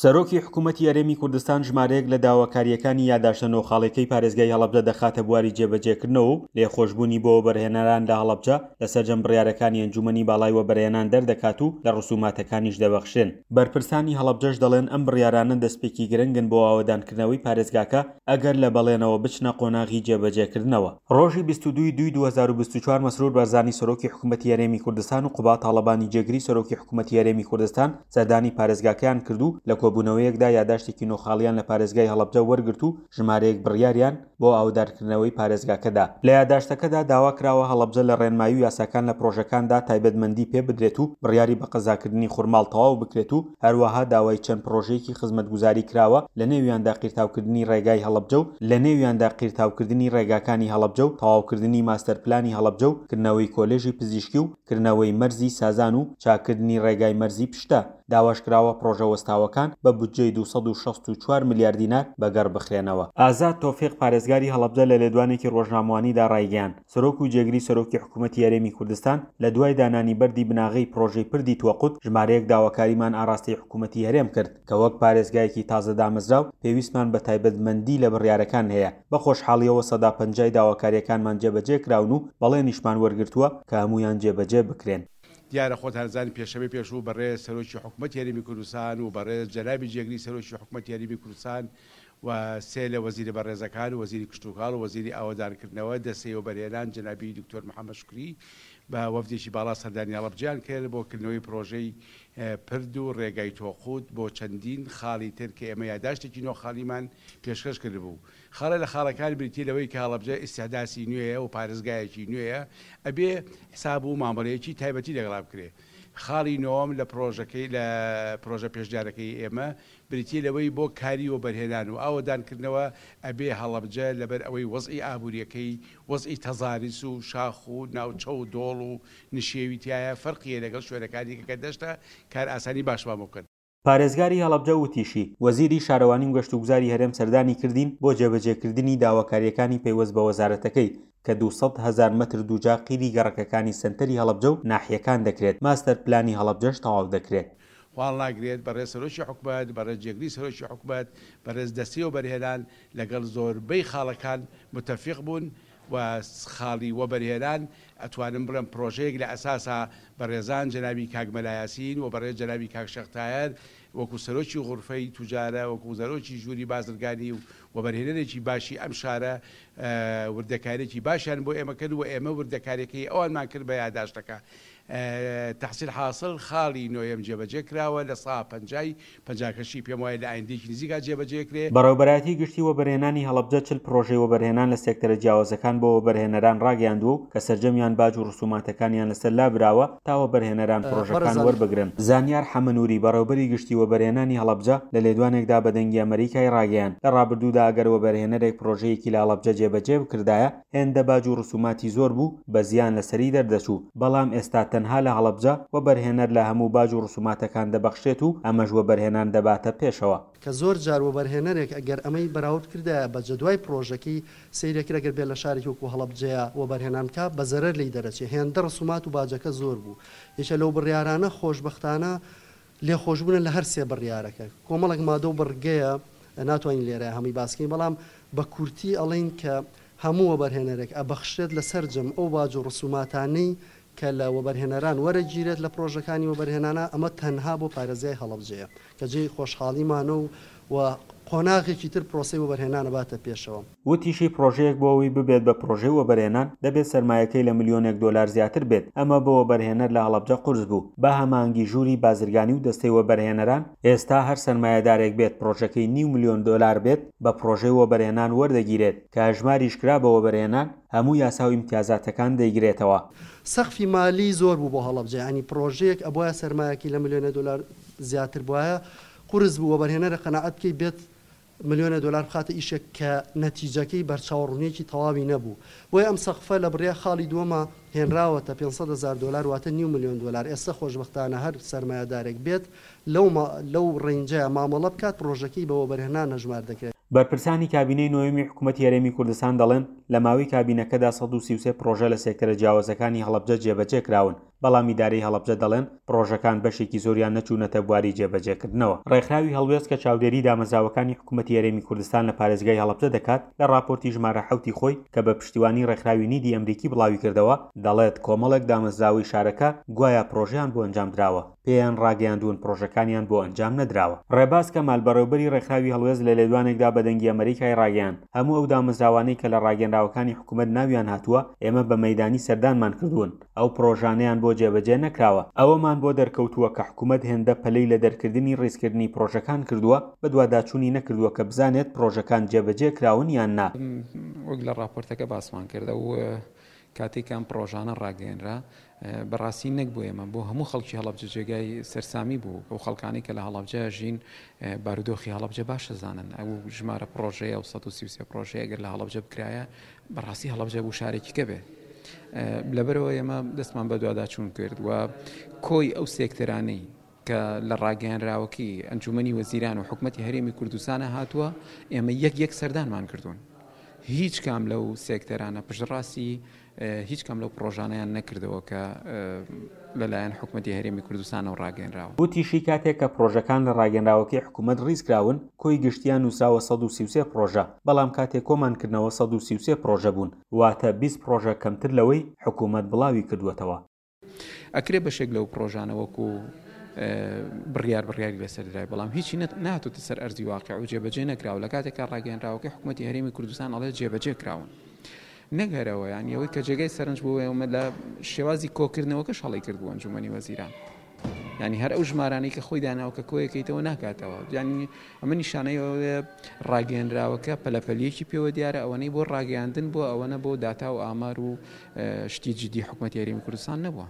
سەرۆکی حکوومەتی هەرێمی کوردستان ژمارەیەک لە داواکارییەکانی یاداشتە نۆ خاڵیەکەی پارێزگای هەڵەبجە دەخاتە بواری جێبەجێکردنەوە و لێخۆشبوونی بۆ وەبەرهێنەران لە هەڵەبجە لە سەرجەم بڕیارەکانی ئەنجوومەنی باڵای وەبەرهێنان دەردەکات و لە ڕسوماتەکانیش دەبەخشرێن. بەرپرسانی هەڵەبجەش دەڵێن ئەم بڕیارانە دەستپێکی گرنگن بۆ ئاوەدانکردنەوەی پارێزگاکە ئەگەر لە بەڵێنەوە بچنە قۆناغی جێبەجێکردنەوە. ڕۆژی 22 ی دووی 2024 مەسرور بارزانی سەرۆکی حکومەتی هەرێمی کوردستان و قوباد تاڵەبانی جێگری سەرۆکی حکومەتی هەرێمی کوردستان سەردانی پارێزگاکەیان کرد و لە کۆبوونەوەیەکدا یاداشتێکی نۆ خاڵیان لە پارێزگای هەڵەبجە وەرگرت و ژمارەیەک بڕیاریان بۆ ئاوەدانکردنەوەی پارێزگاکە دا. لە یاداشتەکەدا داوا کراوە هەڵەبجە لە ڕێنمایی و یاساکان لە پڕۆژەکاندا تایبەتمەندی پێ بدرێت و بڕیاری بەقەزاکردنی خورماڵ تەواو بکرێت و هەروەها داوای چەند پڕۆژەیەکی خزمەتگوزاری کراوە لەنێویاندا قیرتاوکردنی ڕێگای هەڵەبجە و لەنێویاندا قیرتاوکردنی ڕێگاکانی هەڵەبجە و تەواوکردنی ماستەرپلانی هەڵەبجە و کردنەوەی کۆلێژی پزیشکی و کردنەوەی مەرزی سازان و چاککردنی ڕێگای مەرزی پشتە، داواش کراوە پڕۆژە وەستاوەکان بە بودجەی 264 ملیار دینار بەگەڕ بخرێنەوە. ئازاد تۆفیق پارێزگاری هەڵەبجە لە لێدوانێکی ڕۆژنامەوانیدا ڕایگەیاند، سەرۆک و جێگری سەرۆکی حکومەتی هەرێمی کوردستان لە دوای دانانی بەردی بناغەی پڕۆژەی پردی توەقوت ژمارەیەک داواکاریمان ئاڕاستەی حکومەتی هەرێم کرد کە وەک پارێزگایەکی تازە دامەزراو پێویستمان بە تایبەتمەندی لە بڕیارەکان هەیە، بە خۆشحاڵیەوە 50% داواکاریەکانمان جێبەجێ کراون و بەڵێنیشمان وەرگرتووە کە هەموویان جێبەجێ بکرێن. دیارە خۆتان ئەزانن پێشەمەی پێشوو بەڕێز سەرۆکی حکومەتی هەرێمی کوردستان و بەڕێز جەنابی جێگری سەرۆکی حکومەتی هەرێمی کوردستان و سێ لە وەزیرە بەڕێزەکان وەزیری کشتوکاڵ و وەزیری ئاوەدانکردنەوە دەستەی وەبەرهێنان جەنابی دکتۆر محەمەد شوکری بە وەفدێکی باڵا سەردانی هەڵەبجەیان کرد بۆ کردنەوەی پرۆژەی پرد و ڕێگای تۆقوت بۆ چەندین خاڵی تر کە ئێمە یاداشتێکی نۆ خاڵیمان پێشکەش کردبوو. خاڵێ لە خاڵەکان بریتیە لەوەی کە هەڵەبجە ئیستیحداسی نوێیە و پارێزگایەکی نوێیە ئەبێ حساب و مامەڵەیەکی تایبەتی لەگەڵا بکرێ. خاڵی نۆوەم لە پرۆژەکەی لە پرۆژە پێشنیارەکەی ئێمە بریتیە لەوەی بۆ کاری وەبەرهێنان و ئاوەدانکردنەوە ئەبێ هەڵەبجە لەبەر ئەوەی وەزعی ئابووریەکەی وەزعی تەزاریس و شاخ و ناوچە و دۆڵ و نشێوی تیایە فەرقی هەیە لەگەڵ شوێنەکانی دیکە کە دەشتە کارئاسانی باشمان بۆ بکەن. پارێزگاری هەڵەبجە وتیشی، وەزیری شارەوانی و گەشتوگوزاری هەرێم سەردانی کردین بۆ جێبەجێکردنی داواکارییەکانی پەیوەست بە وەزارەتەکەی کە 200 هەزار مەتر دووجا قیری گەڕەکەکانی سەنتەری هەڵەبجە و ناحیەکان دەکرێت، ماستەر پلانی هەڵەبجەش تەواو دەکرێت. هەڵناگرێت، بەڕێز سەرۆکی حکومەت، بەڕێز جێگری سەرۆکی حکومەت، بەڕێز دەستەی وەبەرهێنان لەگەڵ زۆربەی خاڵەکان متەفیق بوون و خاڵی وەبەرهێنان ئەتوانم بڵێم پڕۆژەیەک لە ئەساسا بەڕێزان جەنابی کاک مەلا یاسین و بەڕێز جەنابی کاک شێخ تایەر وەکو سەرۆکی غورفەی توجارە وەکو سەرۆکی ژووری بازرگانی و وەبەرهێنەرێکی باشی ئەم شارە وردەکاریەکی باشیان بۆ ئێمە کرد و ئێمە وردەکاریەکەی ئەوانمان کرد بە یاداشتەکە تەحسیل حاسڵ خاڵی نۆیەم جێبەجێ کراوە لە سا پەنجای پەنجاکەشی پێم وایە لە ئایندەیەکی نزیکا جێبەجێ کرێ. بەڕێوەبەرایەتی گشتی وەبەرهێنانی هەڵەبجە 40 پڕۆژەی وەبەرهێنان لە سێکتەرە جیاوازەکان بۆ وەبەرهێنەران ڕاگەیاندووە و کە سەرجەمیان باج و ڕسوماتەکانیان لەسەر لابراوە تا وەبەرهێنەران پڕۆژەکان بەڕێزان. وەربگرن. زانیار حەمەنوری بەڕێوبەری گشتی وەبەرهێنانی هەڵەبجە لە لێدوانێکدا بە دەنگی ئەمەریکای ڕاگەیاند لە ڕابردوودا ئەگەر وەبەرهێنەرێک پڕۆژەیەکی لە هەڵەبجە جێبەجێ بکردایە هێندە باج و ڕسوماتی زۆر بوو بە زیان لەسەری دەردەچوو، بەڵام ئێستا تەنها لە هەڵەبجە وەبەرهێنەر لە هەموو باج و ڕسوماتەکان دەبەخشرێت و ئەمەش وەبەرهێنان دەباتە پێشەوە. کە زۆر جار وەبەرهێنەرێک ئەگەر ئەمەی بەراورد کردایە بە جەدوای پڕۆژەکەی سەیرێ کرد ئەگەر بێت لە شارێکی وەکو هەڵەبجەیە وەبەرهێنان بکا بە زەرەر لێی دەرەچێ هێندە ڕسومات و باجەکە زۆر بوو یەکێ لەو بڕیارانە خۆشبەختانە لێخۆشبوونە لە هەر سێ بڕیارەکە. کۆمەڵێک مادە و بڕگەیە ناتوانین لێرە هەمووی باس کەین، بەڵام بە کورتی ئەڵێین کە هەموو وەبەرهێنەرێک ئەبەخشرێت لە سەرجەم ئەو باج و ڕسوماتانەی کە لە وەبەرهێنەران وەرەگیرێت لە پڕۆژەکانی وەبەرهێنانا، ئەمە تەنها بۆ پارێزگای هەڵەبجەیە کە جێی خۆشحاڵیمانە و و قۆناغێکی تر پرۆسەی وەبەرهێنان ئەباتە پێشەوە. وتیشی، پڕۆژەیەک بۆ ئەوەی ببێت بە پڕۆژەی وەبەرهێنان، دەبێت سەرمایەکەی لە ملیۆنێک دۆلار زیاتر بێت، ئەمە بۆ وەبەرهێنەر لە هەڵەبجە قورس بوو، بە هەماهەنگی ژووری بازرگانی و دەستەی وەبەرهێنەران، ئێستا هەر سەرمایەدارێک بێت پڕۆژەکەی نیو ملیۆن دۆلار بێت بە پڕۆژەی وەبەرهێنان وەردەگیرێت، کە هەژماریش کرا بە وەبەرهێنان، هەموو یاسا و ئیمتیازاتەکان دەیگرێتەوە. سەقفی مالی زۆر بوو بۆ هەڵەبجە، یانی پڕۆژەیەک ئەبوایە سەرمایەکەی لە ملیۆنێ دۆلار زیاتر بوایە، قورس بوو وەبەرهێنەرە قەناعەت بکەی بێت ملیۆنێ دۆلار بخاتە ئیشێک کە نەتیجەکەی بەرچاوڕوونیەکی تەواوی نەبوو. بۆیە ئەم سەقفە لە بڕیا خاڵی دووەما هێنراوەتە 500 هەزار دۆلار واتە نیو ملیۆن دۆلار. ئێستە خۆشبەختانە هەر سەرمایەدارێک بێت لەو لەو ڕەینجەیا مامەڵە بکات پڕۆژەکەی بە وەبەرهێنان هەژمار دەکرێت. بەرپرسانی کابینەی نۆیەمی حکومەتی هەرێمی کوردستان دەڵێن، لە ماوەی کابینەکەدا 133 پڕۆژە لە سێکتەرە جیاوازەکانی هەڵەبجە جێبەجێکراون. بەڵام ئیدارەی هەڵەبجە دەڵێن پڕۆژەکان بەشێکی زۆریان نەچوونەتە بواری جێبەجێکردنەوە. ڕێکخراوی هەڵوێست کە چاودێری دامەزراوەکانی حکوومەتی هەرێمی کوردستان لە پارێزگای هەڵەبجە دەکات، لە ڕاپۆرتی ژمارە حەوتی خۆی کە بە پشتیوانی ڕێکخراوی نیدی ئەمریکی بڵاویکردەوە، دەڵێت کۆمەڵێک دامەزراوەی شارەکە گوایا پڕۆژەیان بۆ ئەنجامدراوە، پێیان ڕاگەیاندوون پڕۆژەکانیان بۆ ئەنجام نەدراوە. ڕێباز کەمال، بەڕێوبەری ڕێکخراوی هەڵوێست لە لێدوانێکدا بە دەنگی ئەمەریکای ڕاگەیاند، هەموو ئەو دامەزراوانەی کە لە ڕاگەیەنراوەکانی حکوومەت ناویان هاتووە، ئێمە بە مەیدانی سەردانمان کردوون، ئەو پڕۆژانەیان بۆ جێبەجێ نەکراوە، ئەوەمان بۆ دەرکەوتووە کە حکومەت هێندە پەلەی لە دەرکردنی ڕیزکردنی پڕۆژەکان کردووە، بەدواداچوونی نەکردووە کە بزانێت پڕۆژەکان جێبەجێ کراون یان نا. وەک لە ڕاپۆرتەکە باسمان کرد، ئەو کاتەی کە ئەم پڕۆژانە ڕاگەیەنرا، بەڕاستی نەک بۆ ئێمە، بۆ هەموو خەڵکی هەڵەبجە جێگای سەرسامی بوو. ئەو خەڵکانەی کە لە هەڵەبجە ژین، بارودۆخی هەڵەبجە باش دەزانن. ئەو ژمارە پڕۆژەیە، ئەو 133 پڕۆژەیە ئەگەر لە هەڵەبجە بکرایە، بەڕاستی هەڵەبجە بوو شارێکی کە بێ. لەبەرئەوە ئێمە دەستمان بە دواداچوون کرد و کۆی ئەو سێکتەرانەی کە لە ڕاگەیەنراوەکەی ئەنجومەنی وەزیران و حکومەتی هەرێمی کوردستانە هاتووە، ئێمە یەک یەک سەردانمان کردوون. هیچ کام لەو سێکتەرانە پشتڕاستی هیچ کام لەو پڕۆژانەیان نەکردەوە کە لەلایەن حکومەتی هەرێمی کوردستانەوە ڕاگەیەنراوە. وتیشی، کاتێک کە پڕۆژەکان لە ڕاگەیەنراوەکەی حکومەت ڕیزکراون، کۆی گشتیان نووسراوە 133 پڕۆژە، بەڵام کاتێک کۆمان کردنەوە 133 پڕۆژە بوون، واتە 20 پڕۆژە کەمتر لەوەی حکومەت بڵاوی کردووەتەوە. ئەکرێ بەشێک لەو پڕۆژانە وەکو بڕیار بڕیاری لەسەر درای، بەڵام هیچی نەهاتۆتە سەر ئەرزی واقیع و جێبەجێ نەکراوە، لە کاتێکا ڕاگەیەنراوەکەی حکومەتی هەرێمی کوردستان ئەڵێ جێبەجێ کراون. نەک هەر ئەوە، یانی ئەوەی کە جێگای سەرنج بوو ئێمە لە شێوازی کۆکردنەوەکەش هەڵەی کردبوو ئەنجومەنی وەزیران. یانی هەر ئەو ژمارانەی کە خۆی داناوە کە کۆیەکەیتەوە ناکاتەوە. یانی ئەمە نیشانەی ئەوەیە ڕاگەیەنراوەکە پەلەپەلیەکی پێوە دیارە، ئەوەنەی بۆ ڕاگەیاندن بووە ئەوەنە بۆ داتا و ئامار و شتی جدی حکومەتی هەرێمی کوردستان نەبووە.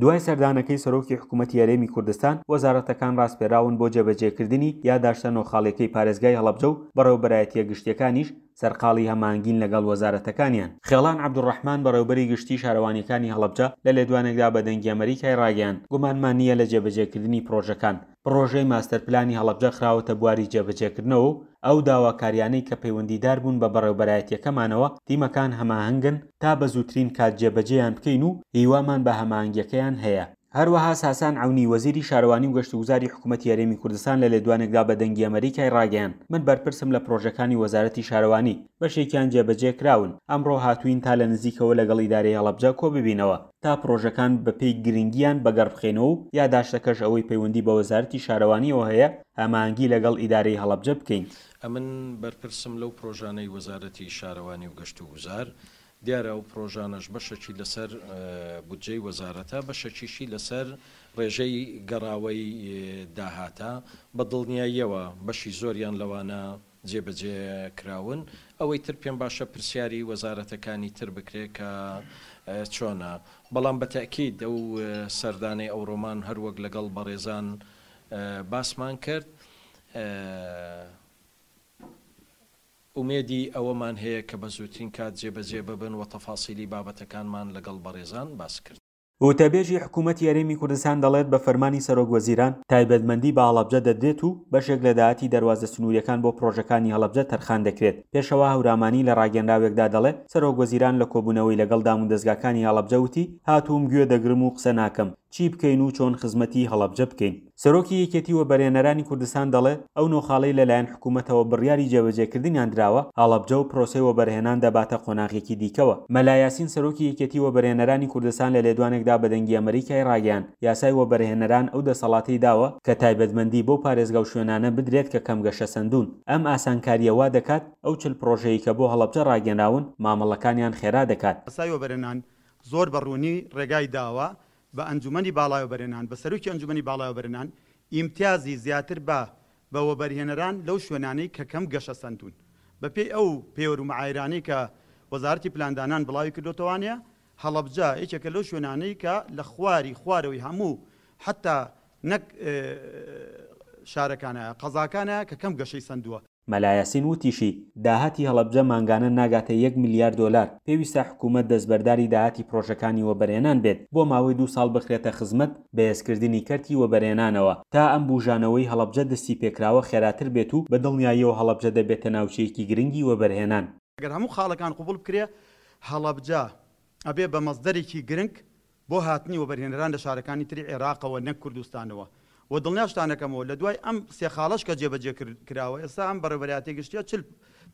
دوای سەردانەکەی سەرۆکی حکومەتی هەرێمی کوردستان، وەزارەتەکان ڕاسپێراون بۆ جێبەجێکردنی یاداشتە نۆ خاڵیەکەی پارێزگای هەڵەبجە و بەڕێوەبەرایەتییە گشتییەکانیش سەرقاڵی هەماهەنگین لەگەڵ وەزارەتەکانیان. خێڵان عەبدولڕەحمان بەڕێوەبەری گشتیی شارەوانییەکانی هەڵەبجە لە لێدوانێکدا بە دەنگی ئەمەریکای ڕاگەیاند، گومانمان نییە لە جێبەجێکردنی پڕۆژەکان، پڕۆژەی ماستەرپلانی هەڵەبجە خراوەتە بواری جێبەجێکردنەوە و ئەو داواکاریانەی کە پەیوەندیدار بوون بە بەڕێوبەرایەتیەکەمانەوە تیمەکان هەماهەنگن تا بە زووترین کات جێبەجێیان بکەین و هیوامان بە هەماهەنگیەکەیان هەیە. هەروەها ساسان عەونی وەزیری شارەوانی و گەشتوگوزاری حکومەتی هەرێمی کوردستان لە لێدوانێکدا بە دەنگی ئەمەریکای ڕاگەیاند، من بەرپرسم لە پڕۆژەکانی وەزارەتی شارەوانی، بەشێکیان جێبەجێ کراون، ئەمڕۆ هاتووین تا لە نزیکەوە لەگەڵ ئیدارەی هەڵەبجە کۆببینەوە تا پڕۆژەکان بەپێی گرنگییان بەگەڕبخەینەوە و یاداشتەکەش ئەوەی پەیوەندی بە وەزارەتی شارەوانییەوە هەیە هەماهەنگی لەگەڵ ئیدارەی هەڵەبجە بکەین. ئەمن بەرپرسم لەو پرۆژانەی وەزارەتی شارەوانی و گەشتوگوزار، دیارە ئەو پرۆژانەش بەشەکی لەسەر بودجەی وەزارەتە، بەشەکیشی لەسەر ڕێژەی گەڕاوەی داهاتە، بە دڵنیاییەوە بەشی زۆریان لەوانە جێبەجێ کراون، ئەوەی تر پێم باشە پرسیاری وەزارەتەکانی تر بکرێ کە چۆنە، بەڵام بە تەئکید ئەو سەردانەی ئەوڕۆمان هەروەک لەگەڵ بەڕێزان باسمان کرد، ئومێدی ئەوەمان هەیە کە بە زووترین کات جێبەجێ ببن و تەفاسیلی بابەتەکانمان لەگەڵ بەڕێزان باس کرد. وتەبێژی حکوومەتی هەرێمی کوردستان دەڵێت، بە فەرمانی سەرۆک وەزیران، تایبەتمەندی بە هەڵەبجە دەدرێت و بەشێک لە داهاتی دەروازە سنوورییەکان بۆ پڕۆژەکانی هەڵەبجە تەرخان دەکرێت. پێشەوا هەورامانی لە ڕاگەنراوێکدا دەڵێ، سەرۆک وەزیران لە کۆبوونەوەی لەگەڵ دامودەزگاکانی هەڵەبجە وتی، هاتووم گوێ دەگرم و قسە ناکەم، چی بکەین و چۆن خزمەتی هەڵەبجە بکەین. سەرۆکی یەکێتی وەبەرهێنەرانی کوردستان دەڵێ، ئەو نۆ خاڵەی لەلایەن حکوومەتەوە بڕیاری جێبەجێکردنیان دراوە، هەڵەبجە و پرۆسەی وەبەرهێنان دەباتە قۆناغێکی دیکەوە. مەلا یاسین سەرۆکی یەکێتی وەبەرهێنەرانی کوردستان لە لێدوانێکدا بە دەنگی ئەمەریکای ڕاگەیاند، یاسای وەبەرهێنەران ئەو دەسەڵاتەی داوە کە تایبەتمەندی بەو پارێزگا و شوێنانە بدرێت کە کەم گەشەسەندوون. ئەم ئاسانکارییە وا دەکات ئەو 40 پڕۆژەی کە بۆ هەڵەبجە ڕاگەنراون، مامەڵەکانیان خێرا دەکات. یاسای وەبەرهێنان زۆر بە ڕوونی ڕێگای داوە بە ئەنجومەنی باڵای وەبەرهێنان، بە سەرۆکی ئەنجومەنی باڵای وەبەرهێنان ئیمتیازی زیاتر بە بە وەبەرهێنەران لەو شوێنانەی کە کەم گەشەسەندوون. بە پێی ئەو پێوەر و مەعایرانەی کە وەزارەتی پلاندانان بڵاوی کردۆتەوانێ، هەڵەبجە یەکێکە لەو شوێنانەی کە لە خواری خوارەوەی هەموو حەتا نەک شارەکانە، قەزاکانە کە کەم گەشەی سەندووە. مەلا یاسین وتیشی، داهاتی هەڵەبجە مانگانە ناگاتە یەک ملیار دۆلار، پێویستە حکومەت دەستبەرداری داهاتی پرۆژەکانی وەبەرهێنان بێت، بۆ ماوەی دوو ساڵ بخرێتە خزمەت بەهێزکردنی کەرتی وەبەرهێنانەوە، تا ئەم بوژانەوەی هەڵەبجە دەستیپێکراوە خێراتر بێت و بە دڵنیاییەوە هەڵەبجە دەبێتە ناوچەیەکی گرنگی وەبەرهێنان. گەر هەموو خاڵەکان قبوڵ بکرێ، هەڵەبجە ئەبێ بە مەسدەرێکی گرنگ. بۆ هاتنی وەبەرهێنەران لە شارەکانی تری عێراقەوە نەک کوردستانەوە و دڵنیاشتان ئەکەمەوە لە دوای ئەم سێ خاڵەش کە جێبەجێ کراوە ئێستا ئەم بەڕێوەبەرایەتیە گشتیە 40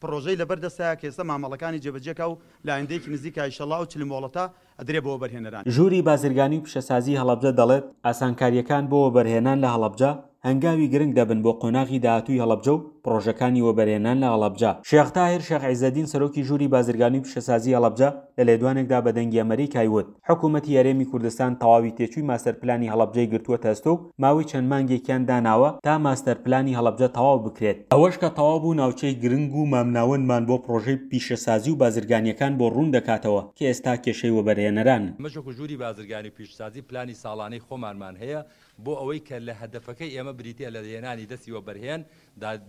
پڕۆژەی لەبەر دەستایە کە ئێستا مامەڵەکانی جێبەجێ کا و لە ئایندەیەکی نزیکا ئیشەڵا ئەو 40 مۆڵەتە ئەدرێ بە وەبەرهێنەران. ژووری بازرگانی و پیشەسازی هەڵەبجە دەڵێت، ئاسانکارییەکان بۆ وەبەرهێنان لە هەڵەبجە هەنگاوی گرنگ دەبن بۆ قۆناغی داهاتووی هەڵەبجە و پڕۆژەکانی وەبەرهێنان لە هەڵەبجە. شێخ تاهیر شێخ عیزەدین سەرۆکی ژووری بازرگانی و پیشەسازی هەڵەبجە لە لێدوانێکدا بە دەنگی ئەمەریکای وت، حکومەتی هەرێمی کوردستان تەواوی تێچووی ماستەر پلانی هەڵەبجەی گرتووەتە ئەستۆ و ماوەی چەند مانگێکیان داناوە تا ماستەر پلانی هەڵەبجە تەواو بکرێت، ئەوەش کە تەواو بوو ناوچەی گرنگ و مامناوەندمان بۆ پڕۆژەی پیشەسازی و بازرگانییەکان بۆ ڕوون دەکاتەوە کە ئێستا کێشەی وەبەرهێنەرانن. ئێمەش وەکو ژووری بازرگانی و پیشەسازی پلانی ساڵانەی خۆمانمان هەیە بۆ ئەوەی کە لە هەدەفەکەی ئێمە بریتیە لە هێنانی دەستی وەبەرهێن،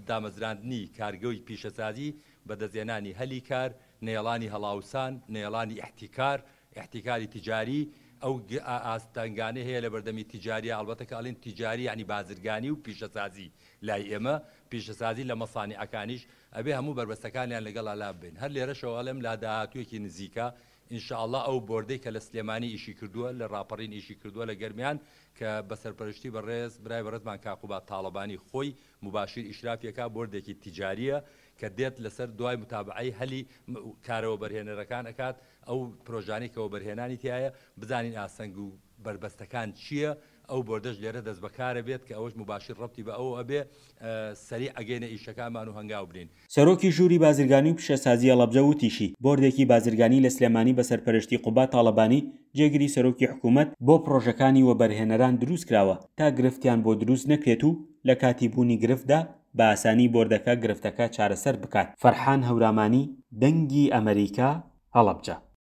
دامەزراندنی کارگەی پیشەسازی، بەدەستهێنانی هەلی کار، نەیەڵانی هەڵاوسان، نەیەڵانی ئیحتیکار، ئیحتیکاری تیجاری، ئەو ئاستەنگانەی هەیە لە بەردەمی تیجاریە، ئەڵبەتە کە ئەڵێن تیجاری یانی بازرگانی و پیشەسازی لای ئێمە، پیشەسازی لە مەسانیعەکانیش ئەبێ هەموو بەربەستەکانیان لەگەڵا لاببەین. هەر لێرەشەوە ئەڵێم لا داهاتوویەکی نزیکە ان شاء اللە ئەو بۆردەی کە لە سلێمانی ئیشی کردووە، لە ڕاپەڕین ئیشی کردووە، لە گەرمیان کە بە سەرپەرشتی بەڕێز برای بەڕێزمان کاک قوباد تاڵەبانی خۆی موباشیر ئیشرافی ئەکا، بۆردێکی تیجاریە کە دێت لەسەر دوای متابەعەی هەلی کارە وەبەرهێنەرەکان ئەکات، ئەو پرۆژانەی کە وەبەرهێنانی تیایە بزانین ئاستەنگ و بەربەستەکان چییە، ئەو بۆردەش لێرە دەستبەکارە بێت کە ئەوەش موباشیر ڕەبتی بە ئەوە ئەبێ سەریع ئەگەینە ئیشەکانمان و هەنگاو بنێین. سەرۆکی ژووری بازرگانی و پیشەسازی هەڵەبجە وتیشی، بۆردێکی بازرگانی لە سلێمانی بە سەرپەرشتی قوباد تاڵەبانی جێگری سەرۆکی حکوومەت بۆ پڕۆژەکانی وەبەرهێنەران دروستکراوە تا گرفتیان بۆ دروست نەکرێت و لە کاتی بوونی گرفتدا بە ئاسانی بۆردەکە گرفتەکە چارەسەر بکات. فەرحان هەورامانی، دەنگی ئەمەریکا، هەڵەبجە.